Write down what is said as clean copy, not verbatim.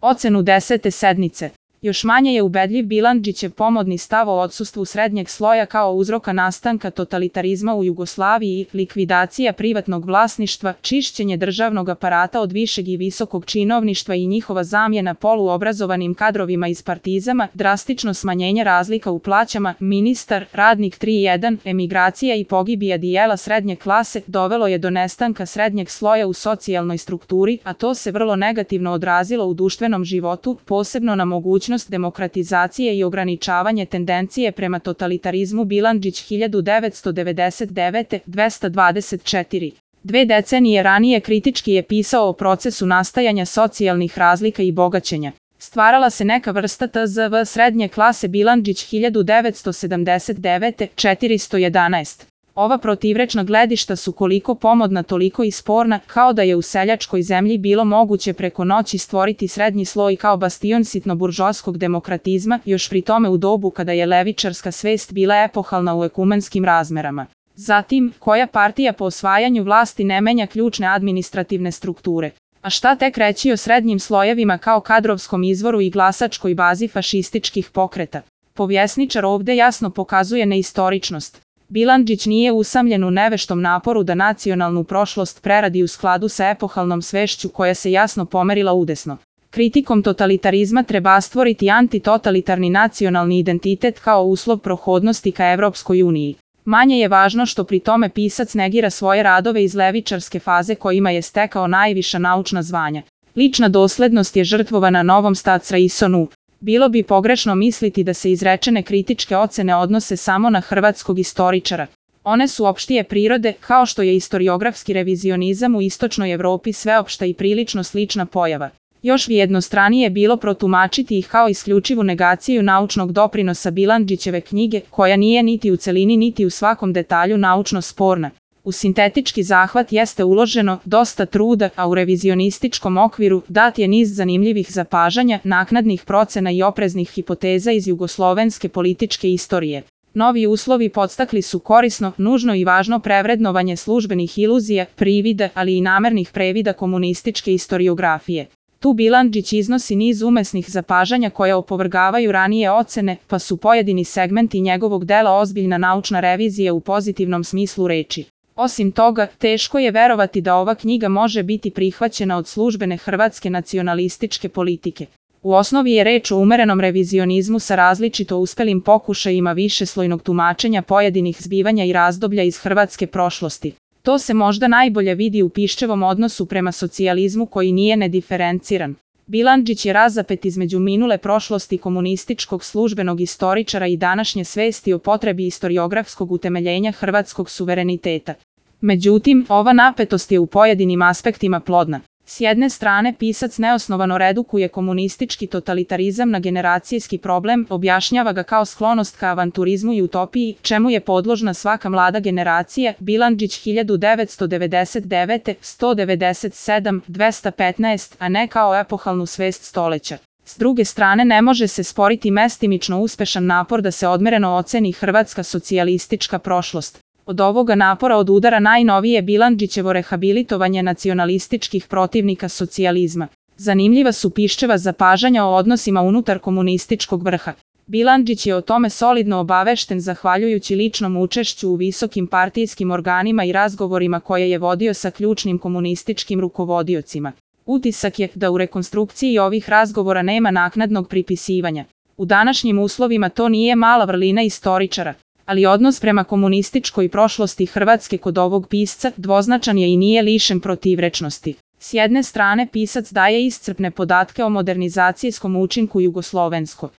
ocenu 10. sednice. Još manje je ubedljiv Bilandžićev pomodni stav o odsustvu srednjeg sloja kao uzroka nastanka totalitarizma u Jugoslaviji, likvidacija privatnog vlasništva, čišćenje državnog aparata od višeg i visokog činovništva i njihova zamjena poluobrazovanim kadrovima iz partizama, drastično smanjenje razlika u plaćama, ministar, radnik 3.1, emigracija i pogibija dijela srednje klase dovelo je do nestanka srednjeg sloja u socijalnoj strukturi, a to se vrlo negativno odrazilo u društvenom životu, posebno na mogućnost demokratizacije i ograničavanje tendencije prema totalitarizmu. Bilandžić 1999. 224. Dve decenije ranije kritički je pisao o procesu nastajanja socijalnih razlika i bogaćenja. Stvarala se neka vrsta tzv. srednje klase. Bilandžić 1979. 411. Ova protivrečna gledišta su koliko pomodna toliko i sporna, kao da je u seljačkoj zemlji bilo moguće preko noći stvoriti srednji sloj kao bastion sitno-buržoaskog demokratizma, još pri tome u dobu kada je levičarska svest bila epohalna u ekumenskim razmerama. Zatim, koja partija po osvajanju vlasti ne menja ključne administrativne strukture? A šta tek reći o srednjim slojevima kao kadrovskom izvoru i glasačkoj bazi fašističkih pokreta? Povjesničar ovde jasno pokazuje neistoričnost. Bilandžić nije usamljen u neveštom naporu da nacionalnu prošlost preradi u skladu sa epohalnom svešću koja se jasno pomerila udesno. Kritikom totalitarizma treba stvoriti antitotalitarni nacionalni identitet kao uslov prohodnosti ka Evropskoj uniji. Manje je važno što pri tome pisac negira svoje radove iz levičarske faze kojima je stekao najviša naučna zvanja. Lična doslednost je žrtvovana Novom Staatsraisonu. Bilo bi pogrešno misliti da se izrečene kritičke ocene odnose samo na hrvatskog istoričara. One su opštije prirode, kao što je istoriografski revizionizam u istočnoj Evropi sveopšta i prilično slična pojava. Još bi jednostranije bilo protumačiti ih kao isključivu negaciju naučnog doprinosa Bilandžićeve knjige, koja nije niti u celini niti u svakom detalju naučno sporna. U sintetički zahvat jeste uloženo dosta truda, a u revizionističkom okviru dat je niz zanimljivih zapažanja, naknadnih procena i opreznih hipoteza iz jugoslovenske političke istorije. Novi uslovi podstakli su korisno, nužno i važno prevrednovanje službenih iluzija, privida, ali i namernih previda komunističke istoriografije. Tu Bilandžić iznosi niz umesnih zapažanja koja opovrgavaju ranije ocene, pa su pojedini segmenti njegovog dela ozbiljna naučna revizija u pozitivnom smislu reči. Osim toga, teško je verovati da ova knjiga može biti prihvaćena od službene hrvatske nacionalističke politike. U osnovi je reč o umerenom revizionizmu sa različito uspelim pokušajima višeslojnog tumačenja pojedinih zbivanja i razdoblja iz hrvatske prošlosti. To se možda najbolje vidi u Piščevom odnosu prema socijalizmu koji nije nediferenciran. Bilandžić je razapet između minule prošlosti komunističkog službenog istoričara i današnje svesti o potrebi istoriografskog utemeljenja hrvatskog suvereniteta. Međutim, ova napetost je u pojedinim aspektima plodna. S jedne strane, pisac neosnovano redukuje komunistički totalitarizam na generacijski problem, objašnjava ga kao sklonost ka avanturizmu i utopiji, čemu je podložna svaka mlada generacija. Bilandžić 1999. 197. 215, a ne kao epohalnu svest stoleća. S druge strane, ne može se sporiti mestimično uspešan napor da se odmereno oceni hrvatska socijalistička prošlost. Od ovoga napora odudara najnovije Bilandžićevo rehabilitovanje nacionalističkih protivnika socijalizma. Zanimljiva su Piščeva zapažanja o odnosima unutar komunističkog vrha. Bilandžić je o tome solidno obavešten zahvaljujući ličnom učešću u visokim partijskim organima i razgovorima koje je vodio sa ključnim komunističkim rukovodiocima. Utisak je da u rekonstrukciji ovih razgovora nema naknadnog pripisivanja. U današnjim uslovima to nije mala vrlina istoričara. Ali odnos prema komunističkoj prošlosti Hrvatske kod ovog pisca dvoznačan je i nije lišen protivrečnosti. S jedne strane, pisac daje iscrpne podatke o modernizacijskom učinku jugoslovenskog